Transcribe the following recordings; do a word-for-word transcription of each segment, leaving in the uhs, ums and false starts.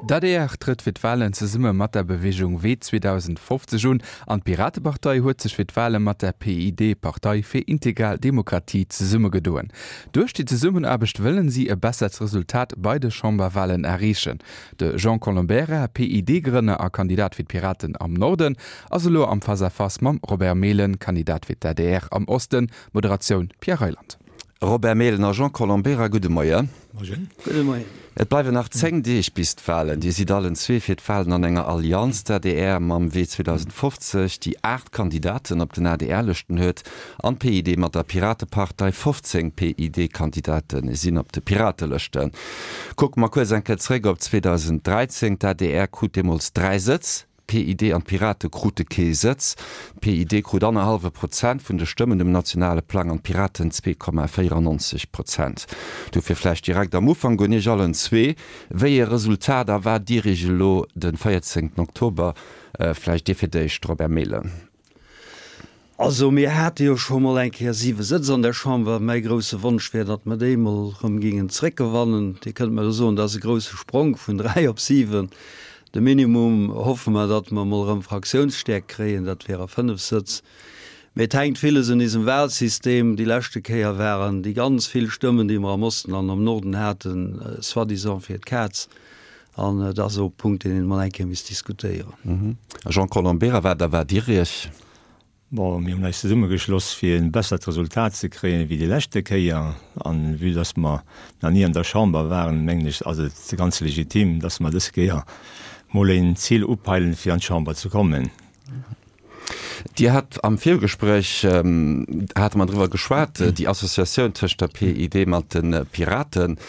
D'ADR trëtt fir d'Walen zesumme mat der Beweegung Wee zweedausendfofzeg un an d'Piratepartei huet sech fir d'Wale mat der P I D, Partei fir integral Demokratie, zesummegedoen. Duerch déi Zesummenaarbecht wëllen si e bessert Resultat bei de Chamberwalen erreechen. De Jean Colombera, P I D-Grënner a Kandidat fir d'Piraten am Norden, ass elo am Face-à-Face mam Robert Mehlen, Kandidat fir d'A D R am Osten. Moderatioun Pierre Reyland. Robert Mehlen a Jean Colombera, gudde Moien. Moien. Gudde Moien. Et bleiwen nach zéng Deeg bis d'Walen. Dir sidd allen zwee fir d'Walen an enger Allianz, d'A D R mam Wee zweedausendfofzeg, déi aacht Kandidaten op den A D R-Lëschten huet, an d'P I D mat der Piratepartei. fofzéng P I D-Kandidate sinn op de Piratelëschten. Kucke mer kuerz eng Kéier zréck op zweedausendräizéng. D'A D R krut deemools dräi Sëtz. D'P I D an d'Pirate krute kee Sëtz. D'P I D krut annerhallwe Prozent vun de Stëmmen um nationale Plang an d'Piraten zwee Komma véierannonzeg Prozent. Dofir vläicht direkt am Ufank un iech allen zwee, Wéi ee Resultat erwaart Dir iech elo de véierzéngten Oktober? Vläicht Dir fir d'éischt, Robert Mehlen. Also mir hate jo scho mol eng Kéier siwe Sëtz an der Chamber. Mäi grousse Wonsch wär, datt mer déi mol erëm géingen zréckgewannen. Dir kënnt mer elo soen, dat ass e grousse Sprong vun dräi op siwen. De Minimum hoffe mer, datt mer mol erëm Fraktiounsstäerkt kréien, dat wäre fënnef Sëtz. Mee et hänkt villes un isem Wahlsystem. Déi leschte Kéier waren déi ganz vill Stëmmen, déi mer am Osten an am Norden haten, soi-disant fir d'Kaz. An dat ass och e Punkt, deen een emol eng Kéier misst diskutéieren. Jean Colombera, wat erwaart Dir Iech? Bon, mir hunn eis zesummegeschloss, fir e bessert Resultat ze kréien wéi déi leschte Kéier. An vue dass mer nach ni an der Chamber waren, mengen ech, ass et ganz legitim, dass mer dës Kéier mol een Zil upeilen, fir an d'Chamber ze kommen. Dir hat am Virgespréich, hate mer driwwer geschwat, déi Associatioun tëscht der P I D mat de Piraten.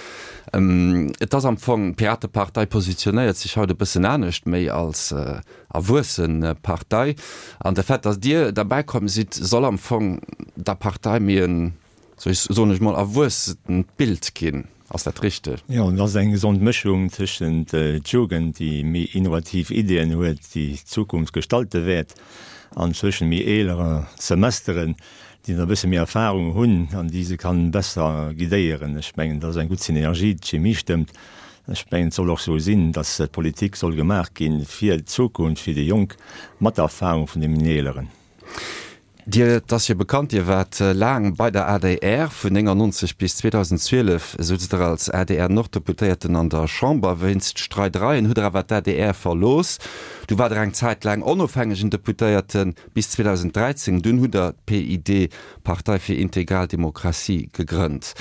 Et ass am Fong, d'Piratepartei positionéiert sech haut e bëssen anescht, méi als erwuesse Partei. An de Fait, datt Dir derbäi komm sidd, soll am Fong der Partei méi en, soen ech mol, erwuessent Bild ginn. Ass dat richteg? Jo, dat ass eng gesond Mëschung tëschent d'Jugend, déi méi innovativ Ideeën huet, déi d'Zukunft gestalte wäert, an zwëschen méi eelere Semesteren, déi e bësse méi Erfahrung hunn an déi se kann besser guidéieren. Ech mengen, dat ass eng gutt Synergie, d'Chemie stëmmt. Ech mengen, et soll och sou sinn, datt d'Politik soll gemaach ginn fir d'Zukunft, fir déi Jonk, mat der Erfahrung vun deenen Eeleren. Dir, et ass jo bekannt, Dir waart laang bei der A D R, vun néngannonzeg bis zweedausendzwielef souz Der als A D R-Norddeputéierten an der Chamber. Wéinst Streidereien hutt Der awer d'A D R verlooss. Du waart Der eng Zäit laang onofhängegen Deputéierten, bis zweedausendräizéng. Dunn hutt Der d'P I D, Partei fir integral Demokratie, gegrënnt.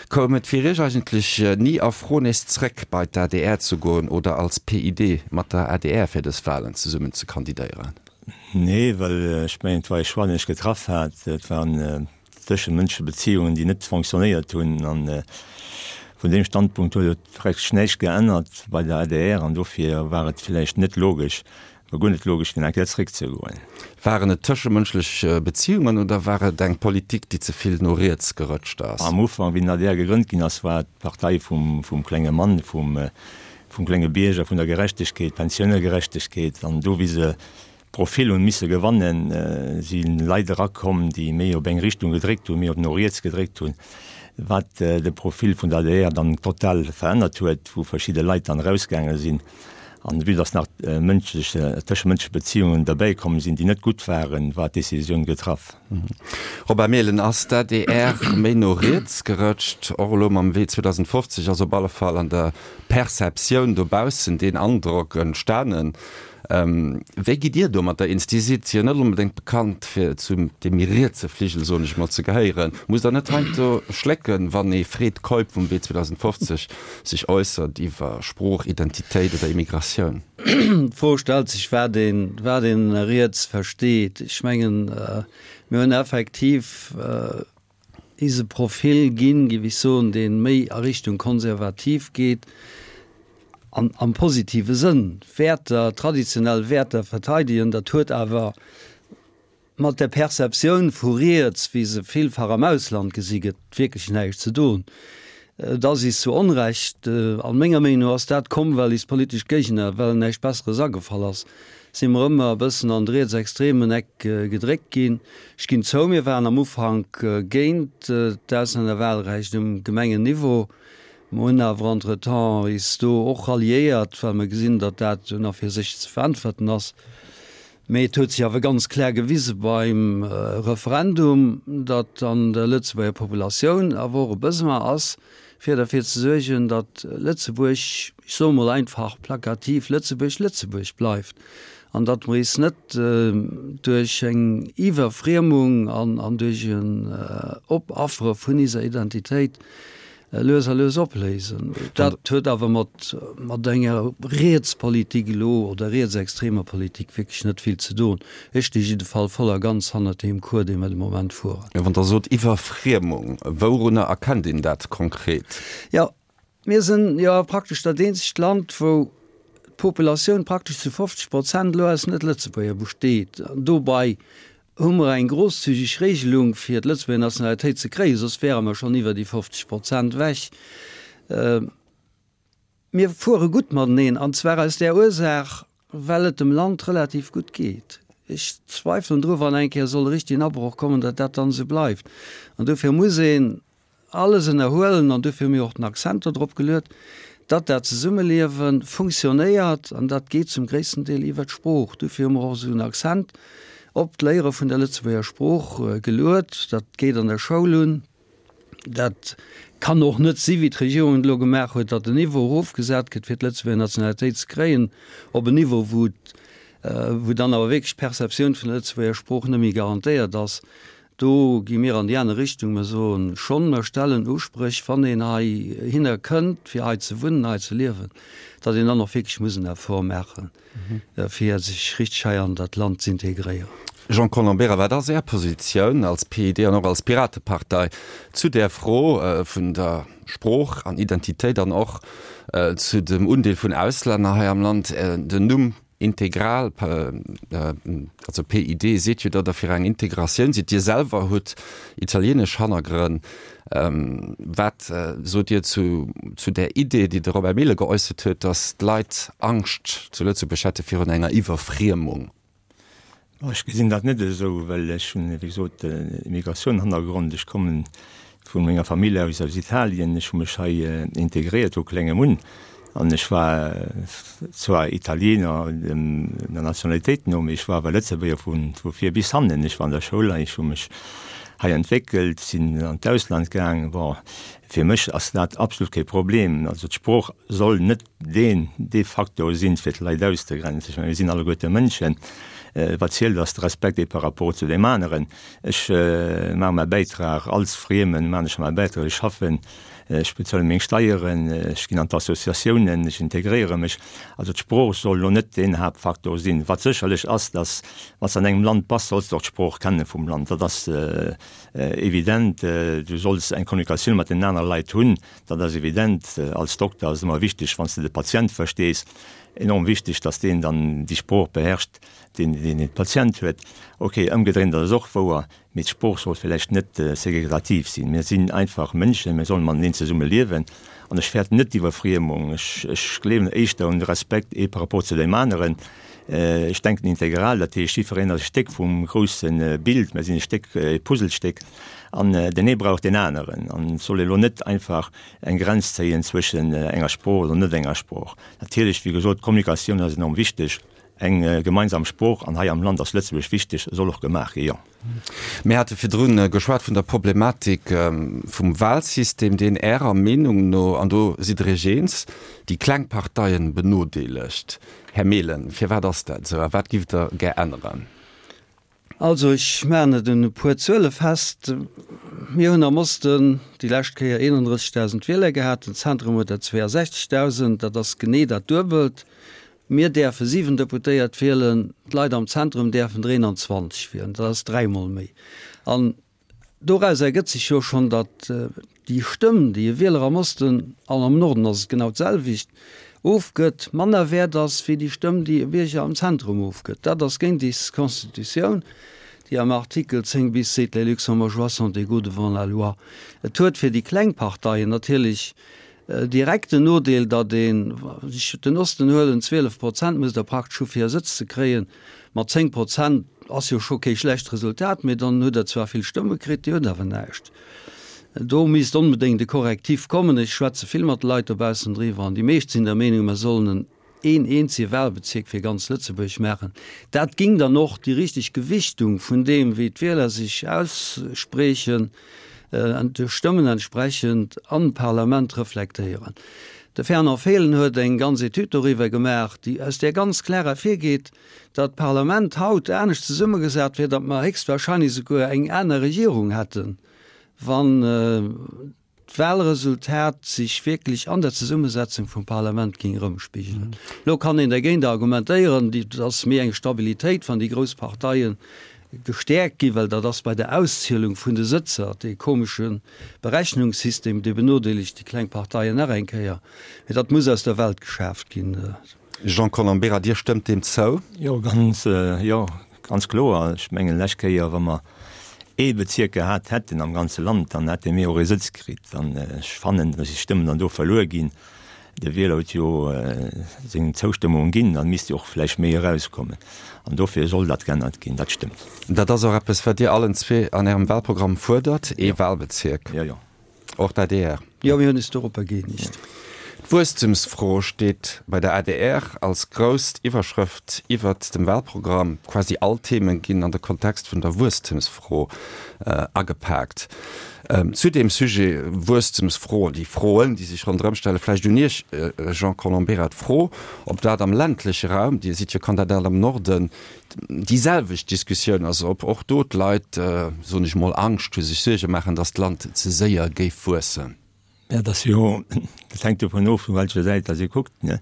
Koum et fir Iech eigentlech ni a Fro, nees zréck bei d'A D R ze goen oder als P I D mat der A D R fir dës Walen zesummen ze kandidéieren? Nee, well ech mengen, et war e Choix, deen ech getraff hat. Et waren tëschemënschlech Beziehungen, déi net fonctionnéiert hunn, an vun deem Standpunkt huet et praktesch näischt geännert bei der A D R an dofir war et villäicht net logesch, war guer net logesch, fir nach eng Kéier zréckzegoen. Waren et tëschemënschlech Beziehungen oder war et eng Politik, déi ze vill no riets gerëtscht ass? Am Ufank, wéi den A D R gegrënnt ginn ass, war et d'Partei vum vum klenge Mann, vum vum klenge Bierger, vun der Gerechtegkeet, Pensiounegerechtegkeet, an do wéi se Profil hunn misse gewannen, si Leit erakomm, déi méi op eng Richtung gedréckt hunn, méi op no riets gedréckt hunn, wat de Profil vun der A D R dann total verännert huet, wou verschidde Leit dann erausgaange sinn. An vue dass nach mënschlech, tëschemënschlech Beziehungen derbäi komm sinn, déi net gutt waren, war d'Decisioun getraff. Robert Mehlen, ass d'A D R méi no riets gerëtscht, och elo mam Wee zweedausendfofzeg ass op alle Fall an der Perceptioun dobaussen deen Androck entstanen. Wéi gitt Dir domatter eens? Dir sidd jo net onbedéngt bekannt fir zu deem méi rietse Fligel, soen ech mol, ze gehéieren. Musst Der net heiansdo schlécken, wann ee Fred Keup vum Wee zweedausendfofzeg sech äussert iwwer Sprooch, Identitéit oder Immigratioun? D'Fro stellt sech, wat een, wat een ënner riets versteet. Ech mengen, mir hunn effektiv is e Profil ginn, géif ech soen, dee méi a Richtung konservativ geet, an am positive Sënn, Wäerter, traditionell Wäerter verteidegen. Dat huet awer mat der Perceptioun vu riets, wéi se villfach am Ausland gesi gëtt, wierklech näischt ze doen. Et ass is zu Onrecht, an menger Meenung no ass dat komm, well is politesch Géigner, well näischt Besseres agefall ass, si mer ëmmer e bëssen an de rietsextremen Eck gedréckt ginn. Ech ginn zou, mir waren am Ufank géint d'Auslännerwahlrecht um Gemengenniveau. Mer hunn awer entretemps is do och ralliéiert, well mer gesinn, datt dat un a fir sech ze veräntwerten ass. Mee et huet sech awer ganz klär gewise beim Referendum, datt an der Lëtzebuerger Populatioun awer och e Besoin ass, fir derfir ze suergen, datt Lëtzebuerg, ech soe mol einfach plakativ, Lëtzebuerg Lëtzebuerg bleift an datt mer is net duerch eng Iwwerfriemung an duerch en Opaffere vun iser Identitéit lues a lues opléisen. Dat huet awer mat mat enger Rietspolitik elo oder rietsextremer Politik wierklech net vill ze doen. Ech sti jiddefall voll a ganz hannert deem Cours, dee mer de Moment fueren. Wann Der sot Iwwerfriemung, wourunner erkennt een dat konkret? Jo, mir sinn jo praktesch dat eenzegt Land, wou d'Populatioun praktesch zu fofzeg Prozent elo aus Net-Lëtzebuerger besteet. An dobei hu mer eng grosszügig Regelung, fir d'Lëtzebuerger Nationalitéit ze kréien, soss wäre mer schonn iwwer déi fofzeg Prozent ewech. Mir fuere gutt mateneen, an zwar aus där Ursaach, well et dem Land relativ gutt geet. Ech zweifelen dru wann eng Kéier soll e richtigen Abroch kommen, datt dat dann esou bleift. An dofir muss een alles ënnerhuelen, an dofir hu mir och den Accent do drop geluet, datt dat Zesummeliewe funktionéiert, an dat geet zum gréissten Deel iwwert d'Sprooch. Dofir hu mer och esou en Accent op d'Léiere vun der Lëtzebuerger Sprooch geluet. Dat geet an der Schoul un. Dat kann och net si wéi d'Regierung et elo gemaach huet, datt den Niveau erofgesat gëtt, fir d'Lëtzebuerger Nationalitéit ze kréien, op en Niveau, wou wou dann awer wierklech d'Perceptioun vun der Lëtzebuerger Sprooch net méi garantéiert ass. Do gi mir an déi aner Richtung. Mir soen schonn, mer stellen Uspréch, wann een heihinner kënnt, fir hei ze wunnen, hei ze liewen, datt een dann och wierklech muss en Effort maachen, fir sech richteg hei an dat Land z'integréieren. Jean Colombera, wat ass Är Positioun als P I D an och als Piratepartei zu där Fro vun der Sprooch an Identitéit an och zu dem Undeel vun Auslänner hei am Land? Den Numm Integral, also P I D, seet jo, datt Der fir eng Integratioun sidd. Dir selwer hutt italienesch Hannergrënn. Wat sot Dir zu zu där Idee, déi de Robert Mehlen geäussert huet, datt d'Leit Angscht zu Lëtzebuerg hätte virun enger Iwwerfriemung? Ech gesinn dat net esou, well ech hunn, wéi gesot, Immigratioun-Hannergrond. Ech kommen vu menger Famill aus aus Italien. Ech hu mech hei integréiert vu klengem un. An ech war zwar Italiener der Nationalitéit no, mee ech war awer Lëtzebuerger vu vir bis hannen. Ech war an der Schoul hei, ech hu mech hei entwéckelt, sinn an d'Ausland gaang. Bon, fir mech ass dat absolut kee Problem. Also d'Sprooch soll net deen, dee Faktor sinn, fir d'Leit auszegrenzen. Ech mengen, mir sinn alleguerte Mënschen. Wat zielt, ass de Respekt ee par rapport zu deem aneren. Ech maache mäi Bäitrag als Friemen, maachen ech mäi Bäitrag, ech schaffen, ech bezuele meng Steieren, ech ginn an d'Associatiounen, ech integréiere mech. Also d'Sprooch soll elo net deen Haaptfaktor sinn. Wat sécherlech ass, dass wann s de an engem Land bass, solls de och d'Sprooch kenne vum Land. Dat ass evident. Du solls eng Kommunikatioun mat den anere Leit hunn, dat ass evident. Als Dokter ass et ëmmer wichteg, wann s de de Patient verstees, enorm wichteg, dass deen dann déi Sprooch beherrscht, deen deen Patient huet. Ok, ëmgedréint ass et och wouer, mee d'Sprooch soll villäicht net segregativ sinn. Mir sinn einfach Mënschen, mir sollen mateneen zesumme liewen an ech fäerten net d'Iwwerfriemung. Ech ech gleewen éischter un de Respekt ee par rapport zu deem aneren. Ech denken integral, dat heescht jiddwereen ass e Stéck vum grousse Bild, mir sinn e Stéck, e Puzzlestéck an deen ee brauch deen aneren an et soll ee lo net einfach eng Grenz zéien zwëschen enger Sprooch oder net enger Sprooch. Natierlech, wéi gesot, d'Kommunikatioun ass enorm wichteg, eng gemeinsam Sprooch, an hei am Land ass Lëtzebuergesch wichteg, soll och gemaach gi, jo. Mir hate virdrun geschwat vun der Problematik vum Wahlsystem, deen Ärer Meenung no, an do sidd Der Iech eens, déi kleng Parteien benodeelegt. Här Mehlen, firwat ass dat esou a wat giff Der gär änneren? Also ech maachen et un e puer Zuele fest. Mir hunn am Osten déi lescht Kéier eenanddrëssegdausend Wieler gehat, den Zentrum huet der zweeasechzegdausend, dat ass genee dat Duebelt. Mir däerfe siwen Deputéiert wielen, d'Leit am Zentrum däerfen der eenanzwanzeg wielen, dat ass dräimol méi. An doraus ergëtt sech jo schonn, datt déi Stëmm, déi e Wieler am Osten, an am Norden ass et genau d'selwecht, ofgëtt, manner wäert ass wéi déi Stëmm, déi e Bierger am Zentrum ofgëtt. Dat ass géint déi Constitutioun, déi am Artikel zéng bis seet, Les Luxembourgeois sont égaux devant la loi. Et huet fir déi kleng Parteien natierlech direkt den Nodeel, datt een, wann ech den Osten huelen, zwielef Prozent muss Der praktesch hu fir e Sëtz ze kréien. Mat zéng Prozent ass jo scho kee schlecht Resultat, mee dann hutt Der zwar vill Stëmme kritt, Dir hutt awer näischt. Do misst onbedéngt e Korrektiv kommen. Ech schwätze vill mat Leit dobaussen driwwer an déi meescht sinn der Meenung, mer sollen en een eenzege Wahlbezierk fir ganz Lëtzebuerg maachen. Dat ging dann och déi richteg Gewichtung vun deem, wéi d'Wieler sech aussprechen, de Stëmmen entsprechend am Parlament reflektéieren. De Fernand Fehlen huet eng ganz Etüd doriwwer gemaach, déi aus där ganz klar ervirgeet, datt d'Parlament haut anescht zesummegesat wier, datt mer héchstwahrscheinlech souguer eng aner Regierung hätten, wann d'Wahlresultat sech wierklech an der Zesummesetzung vum Parlament géing erëmspigelen. Elo kann een dergéint argumentéieren, et ass méi eng Stabilitéit, wann déi grouss Parteie gestäerkt ginn, well dat ass bei der Auszielung vun de Sëtzer, dee komesche Berechnungssystem, dee benodeelegt déi kleng Parteien nach eng Kéier. Mee dat muss aus der Welt geschaaft ginn. Jean Colombera, Dir stëmmt deem zou? Jo, ganz, jo, ganz kloer. Ech mengen, lescht Kéier, wa mer ee Bezierk gehat hätten am ganze Land, dann hätte mir och ee Sëtz kritt. An ech fannen, datt déi Stëmmen dann do verluer ginn. De Wieler huet jo seng Zoustëmmung ginn, dann misst jo och vläicht méi erauskommen. An dofir soll dat geännert ginn, dat stëmmt. Dat ass och eppes, wat Dir allen zwee an Ärem Wahlprogramm fuerdert, ee Wahlbezierk. Jo, jo. Och d'ADR. Jo, mir hunn eis doropper gëeenegt. D'Wuesstemsfro steet bei der adr als grouss Iwwerschrëft iwwert dem Wahlprogramm. Quasi all Themen ginn an de Kontext vun der Wuesstemsfro agepaakt. Zu deem Sujet Wuesstemsfro, déi Froen, déi sech ronderëm stellen, vläicht un Iech, Jean Colombera, d'Fro, ob dat am ländleche Raum, Dir sidd jo Kandidat am Norden, déi selwecht Diskussioun ass, ob och do d'Leit, soen ech mol, Angscht hu, sech Suerge maachen, datt d'Land ze séier géif wuessen. Ja, dat ass jo, dat hänkt dovun of, vu welcher Säit dass ee kuckt, ne.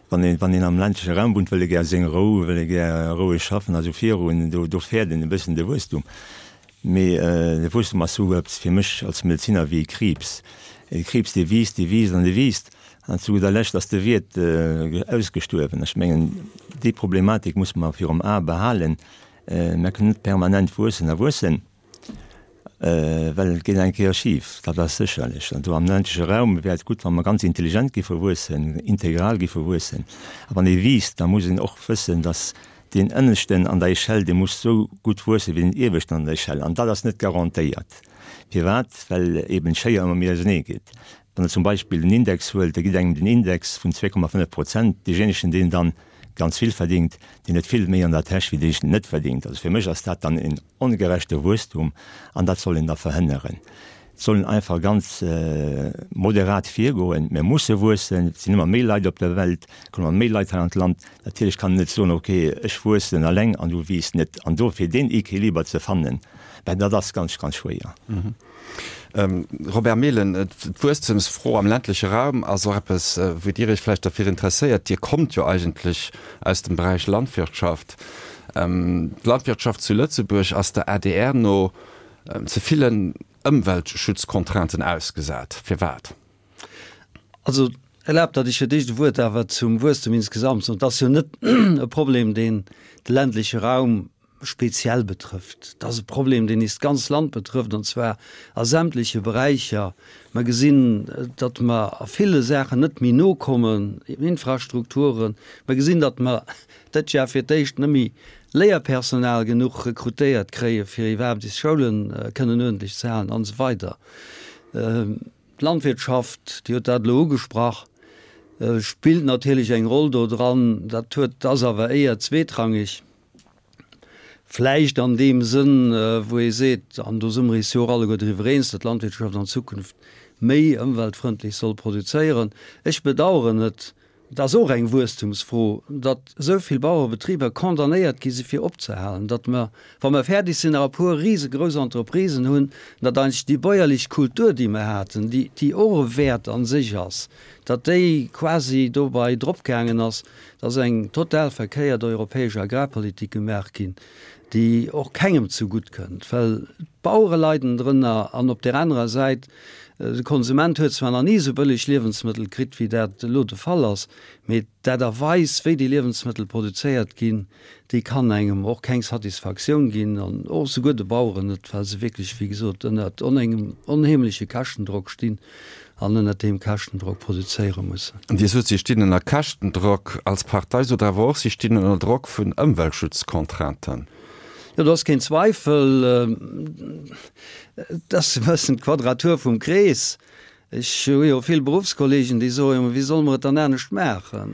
Wann een, wann een am ländleche Raum wunnt, wëll e gär seng Rou, wëll e gär roueg schaffen a sou virun, do, do fäert een e bëssen de Wuesstum. Mee de Wuesstum ass sou eppes fir mech als Medezinner wéi e Kriibs. E Kriibs, dee wiisst, dee wiisst an dee wiisst, an zu gudder Lescht ass de Wiert ausgestuerwen. Ech mengen, déi Problematik musse mer virum A behalen. Mer kënnen net permanent wuessen a wuessen. Well et geet eng Kéier schif, dat ass sécherlech. An do am ländleche Raum wär et gutt, wa mer ganz intelligent giffe wuessen, integral giffe wuessen. A wann ee wiisst, da muss een och wëssen, datt deen Ënneschten an der Echelle, dee muss esou gutt wuessen wéi den Ieweschten an der Echelle. An dat ass net garantéiert. Firwat? Well eeben d'Schéier ëmmer méi ausenee geet. Wann Der zum Beispill den Index huelt, da gitt engem den Index vun zwee Komma fënnef Prozent. Deejéinegen, deen dann ganz vill verdingt, deen huet vill méi an der Täsch wéi deen, deen net verdingt. Also fir mech ass dat dann en ongerechte Wuesstum an dat soll een da verhënneren. Et soll een einfach ganz moderat virgoen. Mir musse wuessen, et sinn ëmmer méi Leit op der Welt, et kommen ëmmer méi Leit hei an d'Land. Natierlech kann een net soen, ok, ech wuessen eleng an du wiisst net. An dofir deen Equiliber ze fannen, ben dat ass ganz, ganz schwéier. Robert Mehlen, D'Wuesstemsfro am ländleche Raum ass och eppes, wou Dir Iech vläicht derfir interesséiert. Dir kommt jo eigentlech aus dem Beräich Landwirtschaft. D'Landwirtschaft zu Lëtzebuerg ass der adr no ze villen Ëmweltschutzcontrainten ausgesat. Firwat? Also erlaabt, datt ech fir d'éischt e Wuert awer zum Wuesstem insgesamt soen. Et ass jo net e Problem, deen de ländleche Raum speziell betrëfft. Dat ass e Problem, deen eist ganz Land betrëfft, an zwar a sämtleche Beräicher. Mer gesinn, datt mer a ville Saachen net méi nokommen, Infrastrukturen. Mer gesinn, datt mer dat Jar fir d'éischt net méi Léierpersonal genuch rekrutéiert kréien, fir iwwerhaapt eis Schoulen kënnen uerdentlech ze halen, an esou weider. D'Landwirtschaft, Dir hutt dat elo ugesprach, spillt natierlech eng Roll do dran. Dat huet, ass awer éier zweetrangeg. Vläicht an deem Sënn, wou ee seet, an do si mer eis jo och alleguer driwwer eens, datt d'Landwirtschaft an Zukunft méi ëmweltfrëndlech soll produzéieren. Ech bedauern et, et ass och eng Wuesstumsfro, datt esou vill Bauerebetriber condamnéiert gi si fir opzehalen, datt mer, wa mer fäerdeg sinn, nach e puer risegrouss Entreprisen hunn, datt eigentlech déi bäuerlech Kultur, déi mer haten, déi, déi och e Wäert a sech ass, datt déi quasi dobei dropgaangen ass. Et ass eng total verkéiert europäesch Agrarpolitik gemaach ginn, déi och kengem zegutt kënnt, well d'Bauere leiden drënner an op där anerer Säit, de Konsument huet zwar nach ni esou bëlleg Liewensmëttel kritt, wéi dat elo de Fall ass, mee d'Aart a Weis, wéi déi Liewensmëttel produzéiert ginn, déi kann engem och keng Satisfaktioun ginn an och souguer de Baueren net, well se wierklech, wéi gesot, ënnert engem onheemleche Käschtendrock stinn. an ënnert deem Käschtendrock produzéiere mussen. Dir sot, si stinn ënner Käschtendrock. Als Partei sot Der awer och, si stinn ënner Drock vun Ëmweltschutzcontrainten. Jo, do ass keen Zweifel, et ass e bëssen d'Quadratur vum Krees. Ech hu jo vill Beruffskollegen, déi soen, jo, mä wéi solle mer et dann anescht maachen?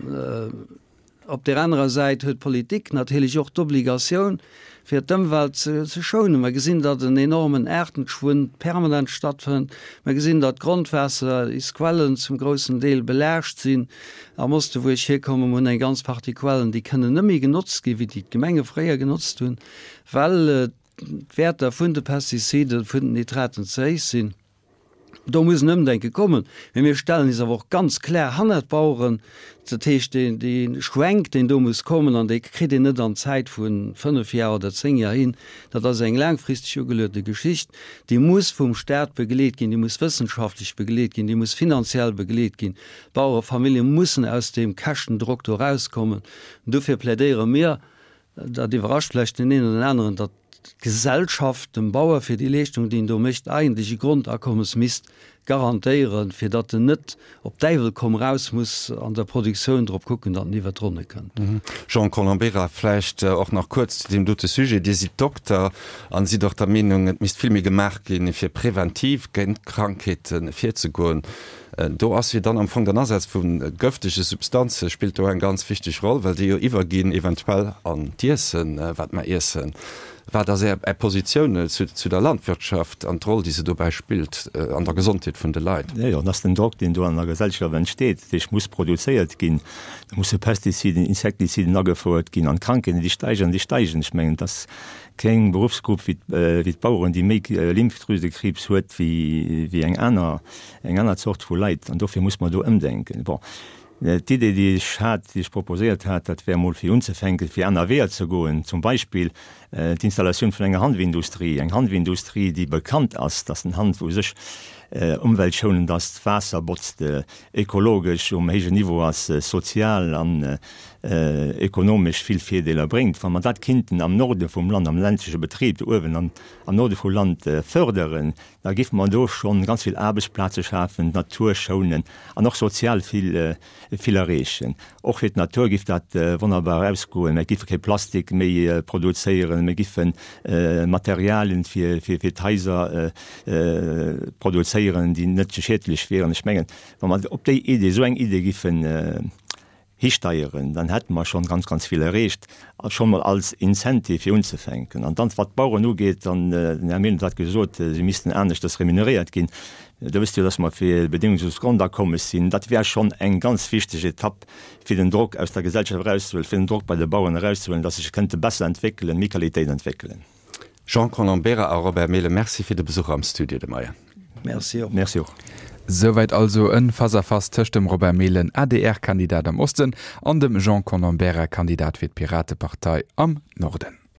Op där anerer Säit huet d'Politik natierlech och d'Obligatioun, fir d'Ëmwelt ze schounen. Mer gesinn, datt en enormen Aartenschwund permanent stattfënnt. Mer gesinn, datt d'Grondwaasser, is Quellen zum groussen Deel belaascht sinn. Am Oste wou ech hierkommen, mer hunn eng ganz Partie Quellen, déi kënnen net méi genotzt ginn, wéi déi d'Gemenge fréier genotzt hunn, well d'Wäerter vun de Pestiziden, vun den Nitraten ze héich sinn. Do muss en Ëmdenke kommen. Mee mir stellen is awer och ganz klar hannert d'Baueren. Dat heescht, dee, dee Schwenk, deen do muss kommen, an dee kritt een net an Zäit vu fënnef Jar oder zéng Jar hin, dat ass eng laangfristeg ugeluete Geschicht, déi muss vum Stat begleet ginn, déi muss wëssenschaftlech begleet ginn, déi muss finanziell begleet ginn. D'Bauerefamillje mussen aus deem Käschtendrock do erauskommen. Dofir plädéiere mir, dat iwwerrascht vläicht deen een oder den aneren, datt d'Gesellschaft dem Bauer fir déi Leeschtung, déi en do mécht, eigentlech e Grondakommes misst garantéieren, fir datt en net op Däiwel komm raus muss an der Produktioun drop kucken, datt en iwwert d'Ronne kënnt. Jean Colombera, vläicht och nach kuerz zu deem dote Sujet. Dir sidd Dokter an sidd och der Meenung, et misst vill méi gemaach ginn, fir preventiv géint Krankheete virzegoen. Do ass jo dann am Fong den Asaz vu gëftege Substanze spillt do eng ganz wichteg Roll, well déi jo iwwerginn eventuell an d'Iessen, wat mer iessen. Wat ass Är Positioun zu der Landwirtschaft an d'Roll, déi se dobäi spillt an der Gesondheet vun de Leit? Jo, jo, dat ass den Drock, deen do an der Gesellschaft entsteet. Dat heescht, muss produzéiert ginn, da musse Pestiziden, Insektiziden agefouert ginn an d'Krankheeten, déi steigen an déi steigen. Ech mengen, et ass keng Beruffsgrupp wéi d'Baueren, déi méi Lymphdrüsekriibs huet wéi eng aner, eng aner Zort vu Leit. An dofir muss mer do ëmdenken. Bon, d'Idee, déi ech hat, déi ech proposéiert hat, dat wär emol fir unzefänken, fir aner Weeër ze goen, zum Beispill d'Installatioun vun enger Hanfindustrie, eng Hanfindustrie, déi bekannt ass, dass den Hanf u sech umweltschonend ass, d'Waasser botzt, ökologesch um héijen Niveau ass, sozial an ökonomesch vill Virdeeler bréngt. Wa mer dat kinnten am Norde vum Land, am ländleche Betrib do uewen am Norde vum Land förderen, da géife mer do schonn ganz vill Aarbechtsplaze schafen, d'Natur schounen an och sozial vill, vill erreechen. Och fir d'Natur géif dat wonnerbar ausgoen. Mir géife kee Plastik méi produzéieren, mir géife Materialien fir, fir, fir d'Haiser produzéieren, déi net schiedlech wieren. Ech mengen, wa mer op déi Idee, esou eng Idee géifen histeieren, dann hätte mer schonn ganz, ganz vill erreecht, schonn mol als Incentive fir unzefänken. An dann, wat d'Baueren ugeet, dann, den Här Mehlen huet dat gesot, si missten aneschters remuneréiert ginn. Der wësst jo, dass mer fir e bedéngungsloost Grondakommes sinn. Dat wär schonn eng ganz wichteg Etapp, fir den Drock aus der Gesellschaft erauszehuelen, fir den Drock bei de Baueren erauszehuelen, dass se sech kënnte besser entwéckelen, méi Qualitéit entwéckelen. Jean Colombera a Robert Mehlen, Merci fir de Besuch am Studio de Moien. Merci och. Merci och. Souwäit also e Face-à-Face tëscht dem Robert Mehlen, A D R-Kandidat am Osten, an dem Jean Colombera, Kandidat fir d'Piratepartei am Norden.